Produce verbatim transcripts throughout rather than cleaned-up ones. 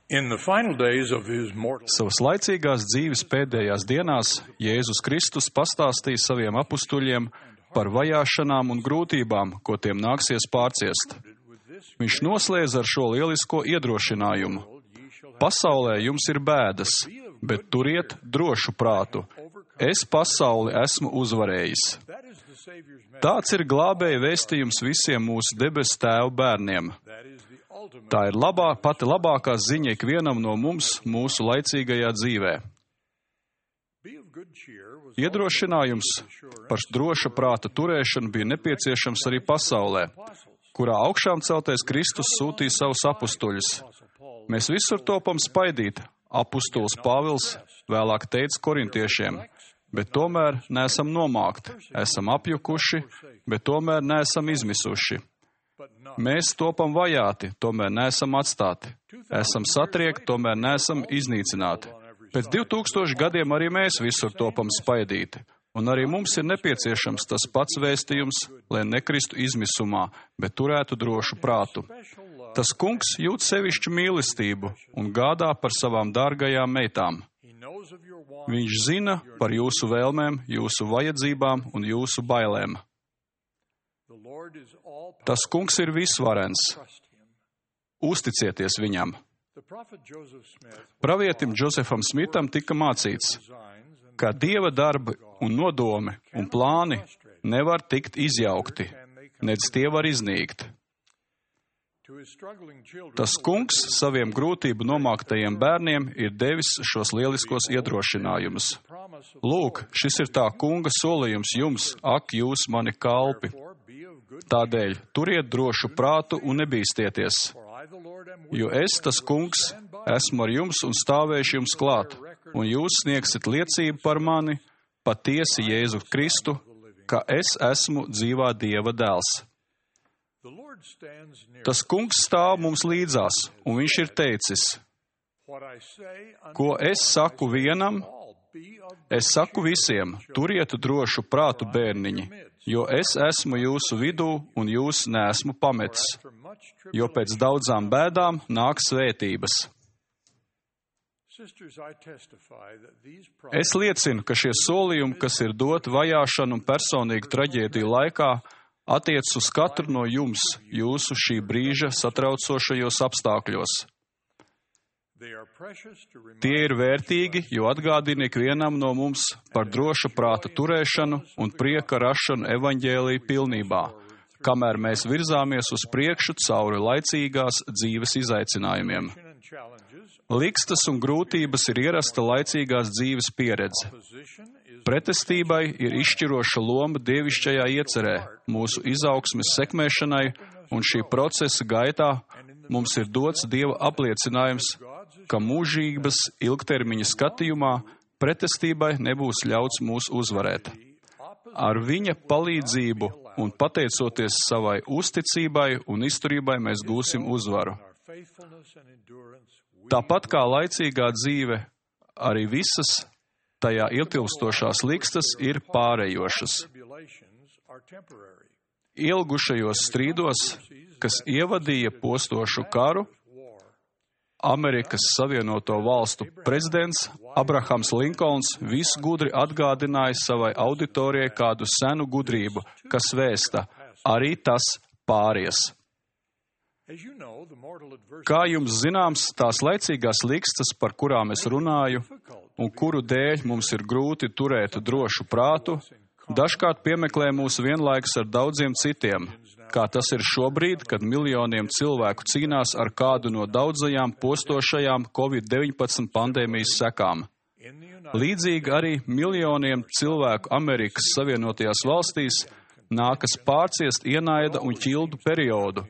In the final days of his mortal Savas laicīgās dzīves pēdējās dienās Jēzus Kristus pastāstīja saviem apustuļiem par vajāšanām un grūtībām, ko tiem nāksies pārciest. Viņš noslēdz ar šo lielisko iedrošinājumu. Pasaulē jums ir bēdas, bet turiet drošu prātu. Es pasauli esmu uzvarējis. Tāds ir glābēja vēstījums visiem mūsu debesu Tēva bērniem. Tā ir labā, pati labākā ziņa ikvienam no mums mūsu laicīgajā dzīvē. Iedrošinājums par droša prāta turēšanu bija nepieciešams arī pasaulē, kurā augšām celtais Kristus sūtīja savus apustuļus. Mēs visur topam spaidīt, apustulis Pāvils vēlāk teica korintiešiem, bet tomēr neesam nomākti, esam apjukuši, bet tomēr neesam izmisuši. Mēs topam vajāti, tomēr neesam atstāti. Esam satriekti, tomēr neesam iznīcināti. Pēc divu tūkstošu gadiem arī mēs visur topam spaidīti. Un arī mums ir nepieciešams tas pats vēstījums, lai nekristu izmisumā, bet turētu drošu prātu. Tas kungs jūt sevišķu mīlestību un gādā par savām dārgajām meitām. Viņš zina par jūsu vēlmēm, jūsu vajadzībām un jūsu bailēm. Tas kungs ir visvarens. Uzticieties viņam. Pravietim Džozefam Smitam tika mācīts, ka Dieva darbi un nodomi un plāni nevar tikt izjaukti, nedz tie var iznīkt. Tas kungs saviem grūtību nomāktajiem bērniem ir devis šos lieliskos iedrošinājumus. Lūk, šis ir tā kunga solījums jums, ak, jūs mani kalpi. Tādēļ turiet drošu prātu un nebīstieties, jo es, tas kungs, esmu ar jums un stāvēšu jums klāt, un jūs sniegsit liecību par mani, patiesi Jēzu Kristu, ka es esmu dzīvā Dieva dēls. Tas kungs stāv mums līdzās, un viņš ir teicis, ko es saku vienam, es saku visiem, turiet drošu prātu bērniņi, jo es esmu jūsu vidū un jūs neesmu pametis, jo pēc daudzām bēdām nāk svētības. Es liecinu, ka šie solījumi, kas ir doti vajāšanu un personīgu traģēdiju laikā, attiec uz katru no jums, jūsu šī brīža satraucošajos apstākļos. Tie ir vērtīgi, jo atgādina ikvienam no mums par droša prāta turēšanu un prieka rašanu evaņģēlija pilnībā, kamēr mēs virzāmies uz priekšu cauri laicīgās dzīves izaicinājumiem. Likstas un grūtības ir ierasta laicīgās dzīves pieredze. Pretestībai ir izšķiroša loma dievišķajā iecerē, mūsu izaugsmes sekmēšanai, un šī procesa gaitā mums ir dots Dieva apliecinājums, ka mūžības ilgtermiņa skatījumā pretestībai nebūs ļauts mūs uzvarēt. Ar viņa palīdzību un pateicoties savai uzticībai un izturībai mēs gūsim uzvaru. Tāpat kā laicīgā dzīve, arī visas tajā ietilpstošās likstas ir pārējošas. Ilgušajos strīdos, kas ievadīja postošu karu, Amerikas Savienoto Valstu prezidents Abrahams Linkolns visgudri atgādināja savai auditorijai kādu senu gudrību, kas vēsta, arī tas pāries. Kā jums zināms, tās laicīgās likstas, par kurām es runāju, un kuru dēļ mums ir grūti turēt drošu prātu, dažkārt piemeklē mūs vienlaikus ar daudziem citiem, kā tas ir šobrīd, kad miljoniem cilvēku cīnās ar kādu no daudzajām postošajām covid deviņpadsmit pandēmijas sekām. Līdzīgi arī miljoniem cilvēku Amerikas Savienotajās valstīs nākas pārciest ienaida un ķildu periodu,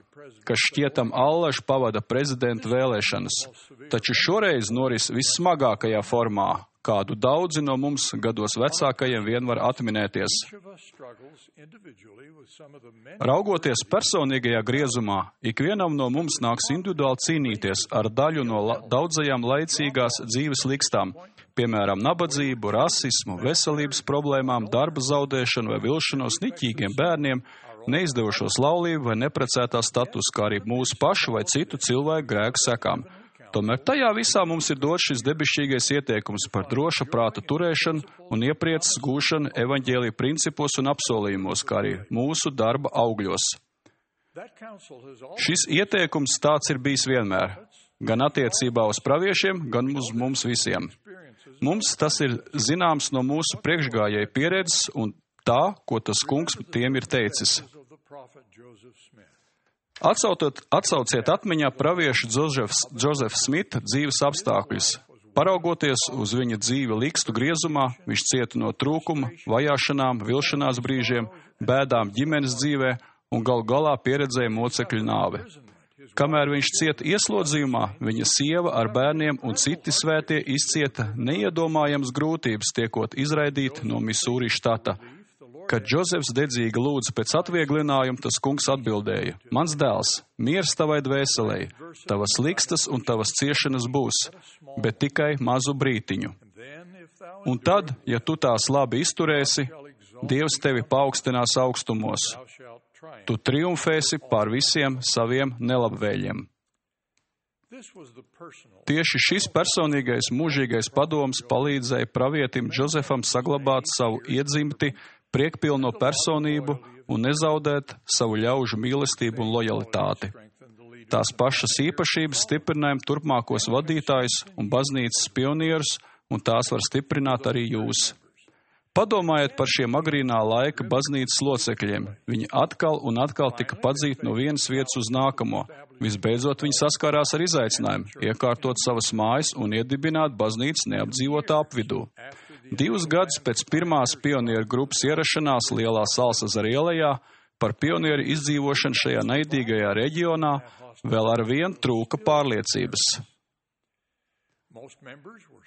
kas šķietam allaž pavada prezidenta vēlēšanas, taču šoreiz noris vissmagākajā formā, kādu daudzi no mums gados vecākajiem vien var atminēties. Raugoties personīgajā griezumā, ikvienam no mums nāks individuāli cīnīties ar daļu no la- daudzajām laicīgās dzīves likstām, piemēram, nabadzību, rasismu, veselības problēmām, darba zaudēšanu vai vilšanos, niķīgiem bērniem, neizdevušos laulību vai neprecētā status, kā arī mūsu pašu vai citu cilvēku grēku sekām. Tomēr tajā visā mums ir dots šis debesšķīgais ieteikums par droša prāta turēšanu un ieprieces gūšanu evaņģēlija principos un apsolījumos, kā arī mūsu darba augļos. Šis ieteikums tāds ir bijis vienmēr, gan attiecībā uz praviešiem, gan uz mums visiem. Mums tas ir zināms no mūsu priekšgājēju pieredzes un tā, ko tas kungs tiem ir teicis. Atsautot, atsauciet atmiņā praviešu Džozefa Smita dzīves apstākļus. Paraugoties uz viņa dzīvi likstu griezumā, viņš cieta no trūkuma, vajāšanām, vilšanās brīžiem, bēdām ģimenes dzīvē un galu galā pieredzēja mocekļu nāvi. Kamēr viņš cieta ieslodzījumā, viņa sieva ar bērniem un citi svētie izcieta neiedomājams grūtības, tiekot izraidīti no Misūri štata. Kad Džozefs dedzīgi lūdza pēc atvieglinājuma, tas kungs atbildēja: Mans dēls, miers tavai dvēselei, tavas likstas un tavas ciešanas būs, bet tikai mazu brītiņu. Un tad, ja tu tās labi izturēsi, Dievs tevi paaugstinās augstumos. Tu triumfēsi pār visiem saviem nelabvēļiem. Tieši šis personīgais mūžīgais padoms palīdzēja pravietim Džozefam saglabāt savu iedzimti, priekpilno personību un nezaudēt savu ļaužu mīlestību un lojalitāti. Tās pašas īpašības stiprinājam turpmākos vadītājus un baznīcas pionierus, un tās var stiprināt arī jūs. Padomājiet par šiem agrīnā laika baznīcas locekļiem. Viņi atkal un atkal tika padzīti no vienas vietas uz nākamo. Visbeidzot, viņi saskārās ar izaicinājumu, iekārtot savas mājas un iedibināt baznīcas neapdzīvotā apvidū. Divus gadus pēc pirmās pionieru grupas ierašanās Lielā Salsazara ielā par pionieru izdzīvošanu šajā naidīgajā reģionā vēl ar vien trūka pārliecības.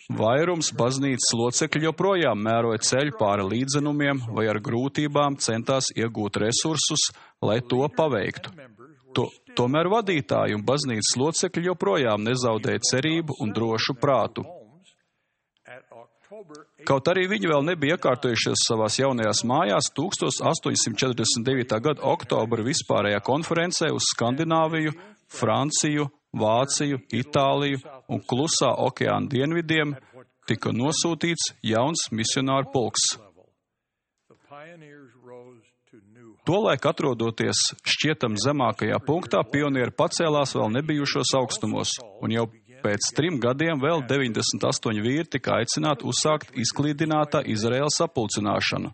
Vairums baznīcas locekļu joprojām mēroja ceļu pāri līdzenumiem vai ar grūtībām centās iegūt resursus, lai to paveiktu. To, tomēr vadītāji un baznīcas locekļi joprojām nezaudēja cerību un drošu prātu. Kaut arī viņi vēl nebija iekārtojušies savās jaunajās mājās, tukstos astoņsimt četrdesmit devītā gada oktobra vispārējā konferencē uz Skandināviju, Franciju, Vāciju, Itāliju un Klusā okeāna dienvidiem tika nosūtīts jauns misionāru pulks. Tolaik atrodoties šķietam zemākajā punktā, pionieri pacēlās vēl nebijušos augstumos, un jau pēc trim gadiem vēl deviņdesmit astoņi vīri tika aicināti uzsākt izklīdinātā Izraēlas sapulcināšanu.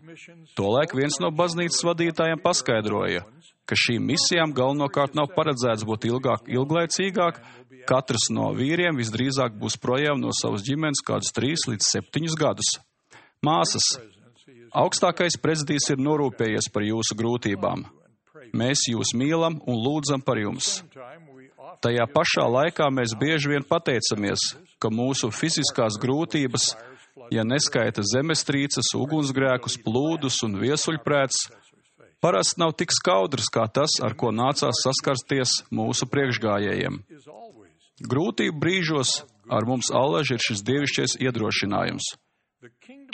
Tolaik viens no baznīcas vadītājiem paskaidroja, ka šīm misijām galvenokārt nav paredzēts būt ilgāk, ilglaicīgāk, katrs no vīriem visdrīzāk būs projām no savas ģimenes kādus trīs līdz septiņus gadus. Māsas, augstākais prezidijs ir norūpējies par jūsu grūtībām. Mēs jūs mīlam un lūdzam par jums. Tajā pašā laikā mēs bieži vien pateicamies, ka mūsu fiziskās grūtības, ja neskaita zemestrīces, ugunsgrēkus, plūdus un viesuļprēts, parasti nav tik skaudrs kā tas, ar ko nācās saskarsties mūsu priekšgājējiem. Grūtību brīžos ar mums allaž ir šis dievišķais iedrošinājums.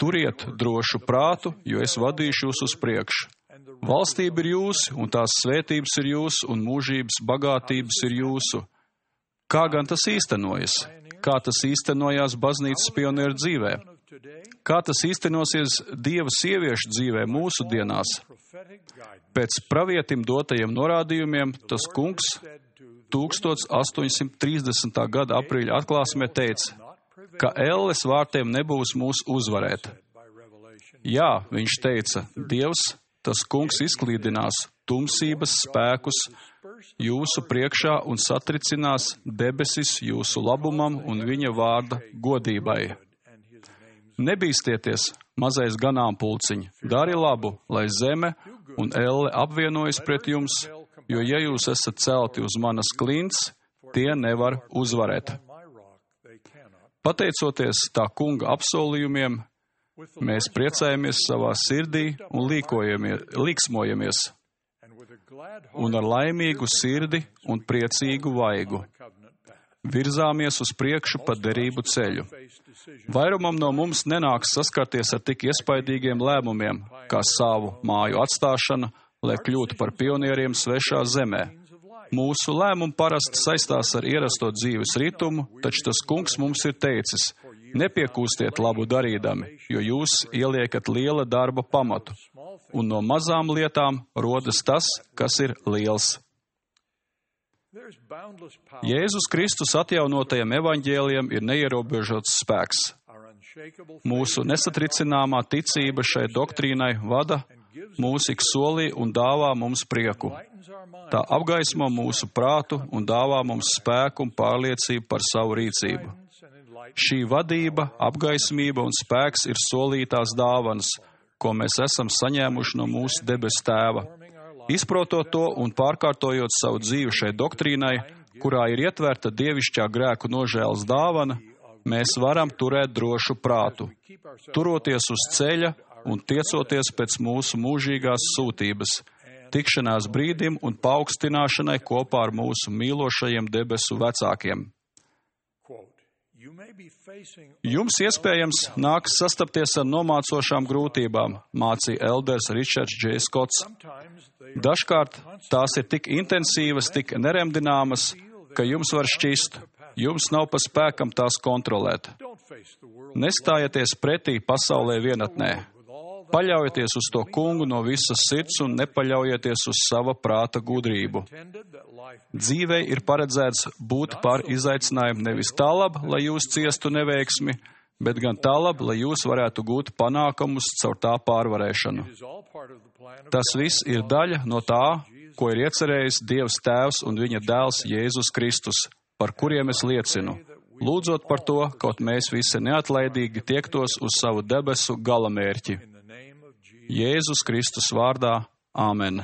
Turiet drošu prātu, jo es vadīšu jūs uz priekšu. Valstība ir jūsu, un tās svētības ir jūsu, un mūžības bagātības ir jūsu. Kā gan tas īstenojas? Kā tas īstenojās baznīcas pionieru dzīvē? Kā tas īstenosies Dieva sieviešu dzīvē mūsu dienās? Pēc pravietim dotajiem norādījumiem, tas kungs astoņsimt trīsdesmitā gada aprīļa atklāsmē teica, ka elles vārtiem nebūs mūs uzvarēt. Jā, viņš teica, Dievs, tas kungs izklīdinās tumsības spēkus jūsu priekšā un satricinās debesis jūsu labumam un viņa vārda godībai. Nebīstieties, mazais ganāmpulciņ, dari labu, lai zeme un elle apvienojas pret jums, jo ja jūs esat celti uz manas klints, tie nevar uzvarēt. Pateicoties tā kunga apsolījumiem, mēs priecājamies savā sirdī un līksmojamies, un ar laimīgu sirdi un priecīgu vaigu virzāmies uz priekšu pa derību ceļu. Vairumam no mums nenāks saskarties ar tik iespaidīgiem lēmumiem, kā savu māju atstāšana, lai kļūtu par pionieriem svešā zemē. Mūsu lēmumi parasti saistās ar ierasto dzīves ritmu, taču tas Kungs mums ir teicis: nepiekūstiet labu darīdami, jo jūs ieliekat liela darba pamatu, un no mazām lietām rodas tas, kas ir liels. Jēzus Kristus atjaunotajam evaņģēlijam ir neierobežots spēks. Mūsu nesatricināmā ticība šai doktrīnai vada mūs ik solī un dāvā mums prieku. Tā apgaismo mūsu prātu un dāvā mums spēku un pārliecību par savu rīcību. Šī vadība, apgaismība un spēks ir solītās dāvanas, ko mēs esam saņēmuši no mūsu debes Tēva. Izprotot to un pārkārtojot savu dzīvi šai doktrīnai, kurā ir ietverta dievišķā grēku nožēlas dāvana, mēs varam turēt drošu prātu, turoties uz ceļa un tiecoties pēc mūsu mūžīgās sūtības, tikšanās brīdim un paaugstināšanai kopā ar mūsu mīlošajiem debesu vecākiem. Jums iespējams nāks sastapties ar nomācošām grūtībām, mācīja elders Ričards Džej Skots. Dažkārt tās ir tik intensīvas, tik neremdināmas, ka jums var šķist, jums nav pa spēkam tās kontrolēt. Nestājieties pretī pasaulē vienatnē. Paļaujieties uz to Kungu no visas sirds un nepaļaujieties uz sava prāta gudrību. Dzīvei ir paredzēts būt par izaicinājumu nevis tālab, lai jūs ciestu neveiksmi, bet gan tālab, lai jūs varētu gūt panākumus caur tā pārvarēšanu. Tas viss ir daļa no tā, ko ir iecerējis Dievs Tēvs un viņa dēls Jēzus Kristus, par kuriem es liecinu, lūdzot par to, kaut mēs visi neatlaidīgi tiektos uz savu debesu galamērķi. Jēzus Kristus vārdā. Āmen.